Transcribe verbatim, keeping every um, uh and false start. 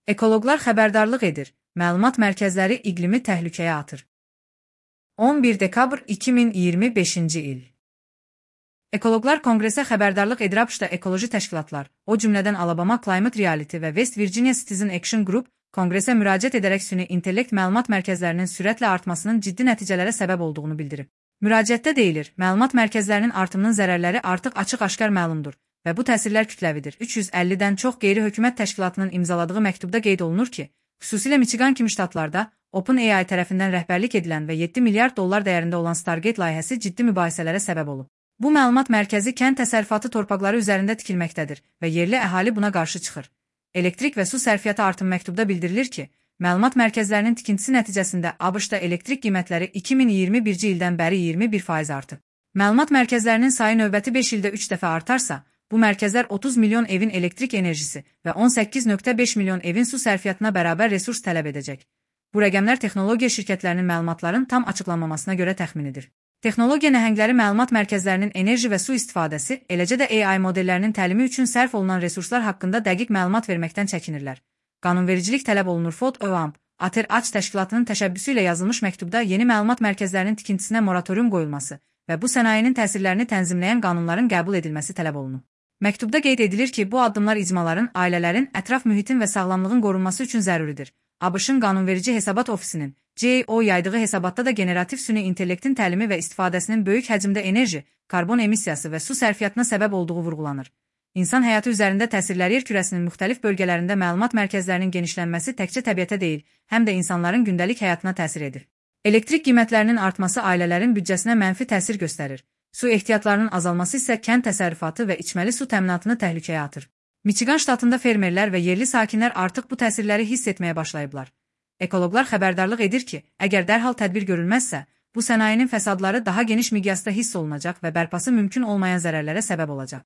Ekoloqlar xəbərdarlıq edir, məlumat mərkəzləri iqlimi təhlükəyə atır. on bir dekabr iki min iyirmi beşinci il. Ekoloqlar Konqresə xəbərdarlıq edir ABŞ-da ekoloji təşkilatlar, o cümlədən Alabama Climate Reality və West Virginia Citizen Action Group, Konqresə müraciət edərək süni intellekt məlumat mərkəzlərinin sürətlə artmasının ciddi nəticələrə səbəb olduğunu bildirib. Müraciətdə deyilir, məlumat mərkəzlərinin artımının zərərləri artıq açıq-aşkar məlumdur və bu təsirlər kütləvidir. üç yüz əllidən çox qeyri-hökumət təşkilatının imzaladığı məktubda qeyd olunur ki, xüsusilə Michigan kimi ştatlarda OpenAI tərəfindən rəhbərlik edilən və yeddi milyard dollar dəyərində olan Stargate layihəsi ciddi mübahisələrə səbəb olub. Bu məlumat mərkəzi kənd təsərrüfatı torpaqları üzərində tikilməkdədir və yerli əhali buna qarşı çıxır. Elektrik və su sərfiyyatı artımı məktubda bildirilir ki, məlumat mərkəzlərinin tikintisi nəticəsində ABŞ-da elektrik qiymətləri iki min iyirmi birinci ildən bəri iyirmi bir faiz artıb. Məlumat mərkəzlərinin sayı növbəti beş ildə üç dəfə artarsa, bu mərkəzlər otuz milyon evin elektrik enerjisi və on səkkiz nöqtə beş milyon evin su sərfiyyatına bərabər resurs tələb edəcək. Bu rəqəmlər texnologiya şirkətlərinin məlumatların tam açıqlanmamasına görə təxminidir. Texnologiya nəhəngləri məlumat mərkəzlərinin enerji və su istifadəsi, eləcə də A I modellərinin təlimi üçün sərf olunan resurslar haqqında dəqiq məlumat verməkdən çəkinirlər. Qanunvericilik tələb olunur. F O D, ÖAMP, ATER-AÇ təşkilatının təşəbbüsü ilə yazılmış məktubda yeni məlumat mərkəzlərinin tikintisinə moratorium qoyulması və bu sənayenin təsirlərini tənzimləyən qanunların qəbul edilməsi tələb olunur. Məktubda qeyd edilir ki, bu addımlar icmaların, ailələrin, ətraf mühitin və sağlamlığın qorunması üçün zəruridir. ABŞ-ın Qanunverici Hesabat Ofisinin G A O yaydığı hesabatda da generativ süni intellektin təlimi və istifadəsinin böyük həcmdə enerji, karbon emissiyası və su sərfiyyatına səbəb olduğu vurğulanır. İnsan həyatı üzərində təsirləri yer kürəsinin müxtəlif bölgələrində məlumat mərkəzlərinin genişlənməsi təkcə təbiətə deyil, həm də insanların gündəlik həyatına təsir edir. Elektrik qiymətlərinin artması ailələrin büdcəsinə mənfi təsir göstərir. Su ehtiyatlarının azalması isə kənd təsərrüfatı və içməli su təminatını təhlükəyə atır. Michigan ştatında fermerlər və yerli sakinlər artıq bu təsirləri hiss etməyə başlayıblar. Ekoloqlar xəbərdarlıq edir ki, əgər dərhal tədbir görülməzsə, bu sənayenin fəsadları daha geniş miqyasda hiss olunacaq və bərpası mümkün olmayan zərərlərə səbəb olacaq.